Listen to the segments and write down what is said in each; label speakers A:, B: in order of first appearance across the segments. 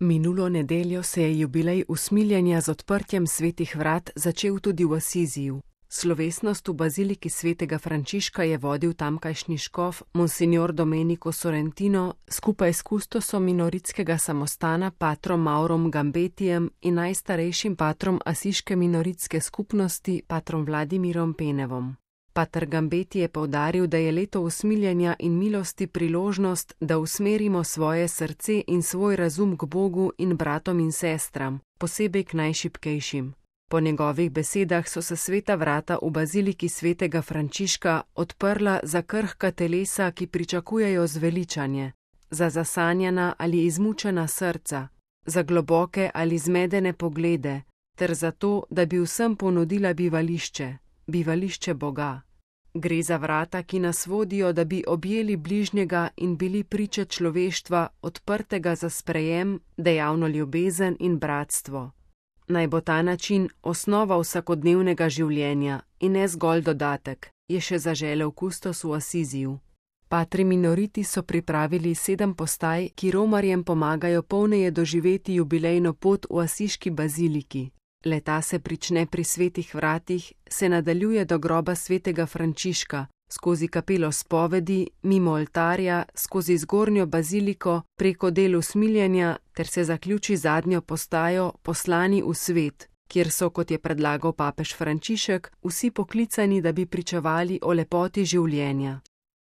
A: Minulo nedeljo se je jubilej usmiljenja z odprtjem svetih vrat začel tudi v Asiziju. Slovesnost v baziliki svetega Frančiška je vodil tamkajšnji škof Monsignor Domenico Sorrentino skupaj s kustosom minoritskega samostana patrom Maurom Gambetijem in najstarejšim patrom asiške minoritske skupnosti patrom Vladimirom Penevom. Pater Gambeti je poudaril, da je leto usmiljenja in milosti priložnost, da usmerimo svoje srce in svoj razum k Bogu in bratom in sestram, posebej k najšibkejšim. Po njegovih besedah so se sveta vrata v baziliki svetega Frančiška odprla za krhka telesa, ki pričakujejo zveličanje, za zasanjana ali izmučena srca, za globoke ali zmedene poglede, ter za to, da bi vsem ponudila bivališče Boga. Gre za vrata, ki nas vodijo, da bi objeli bližnjega in bili priče človeštva, odprtega za sprejem, dejavno ljubezen in bratstvo. Naj bo ta način osnova vsakodnevnega življenja in ne zgolj dodatek, je še zaželel kustos v Asiziju. Patri minoriti so pripravili 7 postaj, ki romarjem pomagajo polneje doživeti jubilejno pot v asiški baziliki. Leta se prične pri svetih vratih, se nadaljuje do groba svetega Frančiška, skozi kapelo spovedi, mimo oltarja, skozi zgornjo baziliko, preko del usmiljenja, ter se zaključi zadnjo postajo Poslani v svet, kjer so, kot je predlagal papež Frančišek, vsi poklicani, da bi pričevali o lepoti življenja.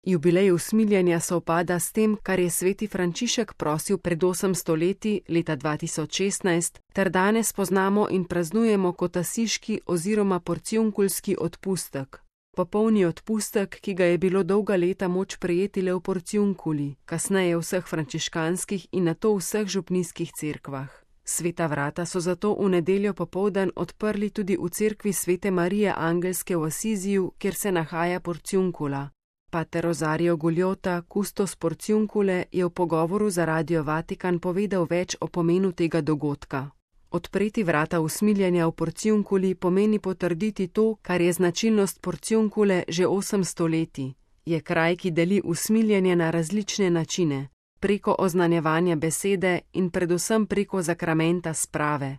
A: Jubilej usmiljenja sovpada s tem, kar je sveti Frančišek prosil pred 800 leti, leta 2016, ter danes poznamo in praznujemo kot asiški oziroma porciunkulski odpustek. Popolni odpustek, ki ga je bilo dolga leta moč prejeti le v porciunkuli, kasneje v vseh frančiškanskih in nato v vseh župnijskih cerkvah. Sveta vrata so zato v nedeljo popoldan odprli tudi v cerkvi svete Marije Angelske v Asiziju, kjer se nahaja porciunkula. Pater Rosario Guljota, kustos porciunkule, je v pogovoru za Radio Vatikan povedal več o pomenu tega dogodka. Odpreti vrata usmiljenja v porciunkuli pomeni potrditi to, kar je značilnost porciunkule že 800 leti. Je kraj, ki deli usmiljenje na različne načine, preko oznanjevanja besede in predvsem preko zakramenta sprave.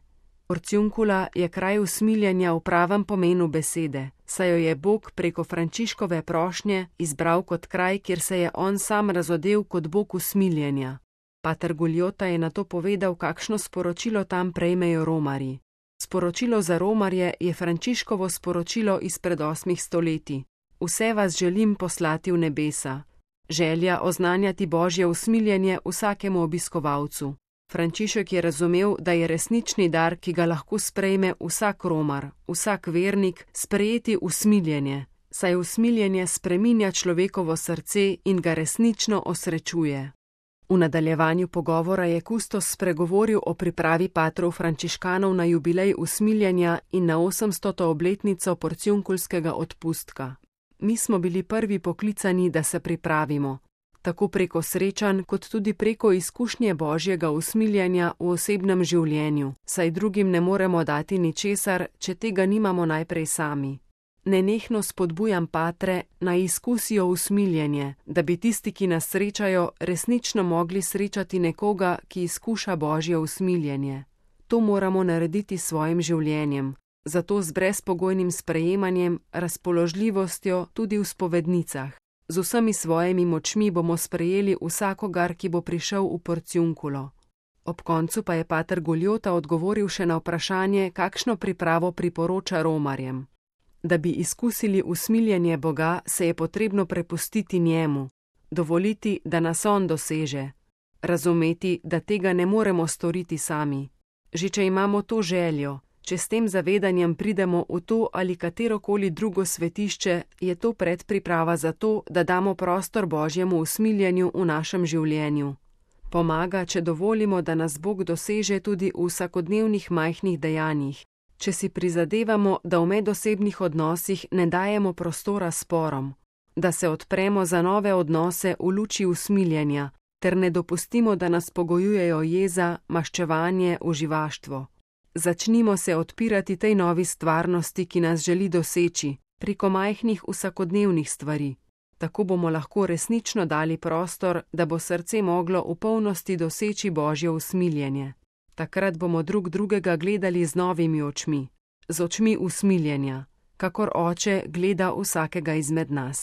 A: Porciunkula je kraj usmiljenja v pravem pomenu besede, saj jo je Bog preko Frančiškove prošnje izbral kot kraj, kjer se je on sam razodel kot Bog usmiljenja. Pater Guljota je nato povedal, kakšno sporočilo tam prejmejo romarji. Sporočilo za romarje je Frančiškovo sporočilo izpred 8 stoletij. Vse vas želim poslati v nebesa. Želja oznanjati Božje usmiljenje vsakemu obiskovalcu. Frančišek je razumel, da je resnični dar, ki ga lahko sprejme vsak romar, vsak vernik, sprejeti usmiljenje, saj usmiljenje spreminja človekovo srce in ga resnično osrečuje. V nadaljevanju pogovora je kustos spregovoril o pripravi patrov frančiškanov na jubilej usmiljenja in na 800. obletnico porciunkulskega odpustka. Mi smo bili prvi poklicani, da se pripravimo. Tako preko srečanj, kot tudi preko izkušnje Božjega usmiljenja v osebnem življenju, saj drugim ne moremo dati ničesar, če tega nimamo najprej sami. Nenehno spodbujam patre, naj izkusijo usmiljenje, da bi tisti, ki nas srečajo, resnično mogli srečati nekoga, ki izkuša Božje usmiljenje. To moramo narediti s svojim življenjem, zato z brezpogojnim sprejemanjem, razpoložljivostjo tudi v spovednicah. Z vsemi svojimi močmi bomo sprejeli vsakogar, ki bo prišel v porciunkulo. Ob koncu pa je pater Guljota odgovoril še na vprašanje, kakšno pripravo priporoča romarjem. Da bi izkusili usmiljenje Boga, se je potrebno prepustiti njemu, dovoliti, da nas on doseže, razumeti, da tega ne moremo storiti sami. Že če imamo to željo, če s tem zavedanjem pridemo v to ali katerokoli drugo svetišče, je to predpriprava za to, da damo prostor Božjemu usmiljenju v našem življenju. Pomaga, če dovolimo, da nas Bog doseže tudi v vsakodnevnih majhnih dejanjih, če si prizadevamo, da v medosebnih odnosih ne dajemo prostora sporom, da se odpremo za nove odnose v luči usmiljenja, ter ne dopustimo, da nas pogojujejo jeza, maščevanje, uživaštvo. Začnimo se odpirati tej novi stvarnosti, ki nas želi doseči, preko majhnih vsakodnevnih stvari. Tako bomo lahko resnično dali prostor, da bo srce moglo v polnosti doseči Božje usmiljenje. Takrat bomo drug drugega gledali z novimi očmi, z očmi usmiljenja, kakor Oče gleda vsakega izmed nas.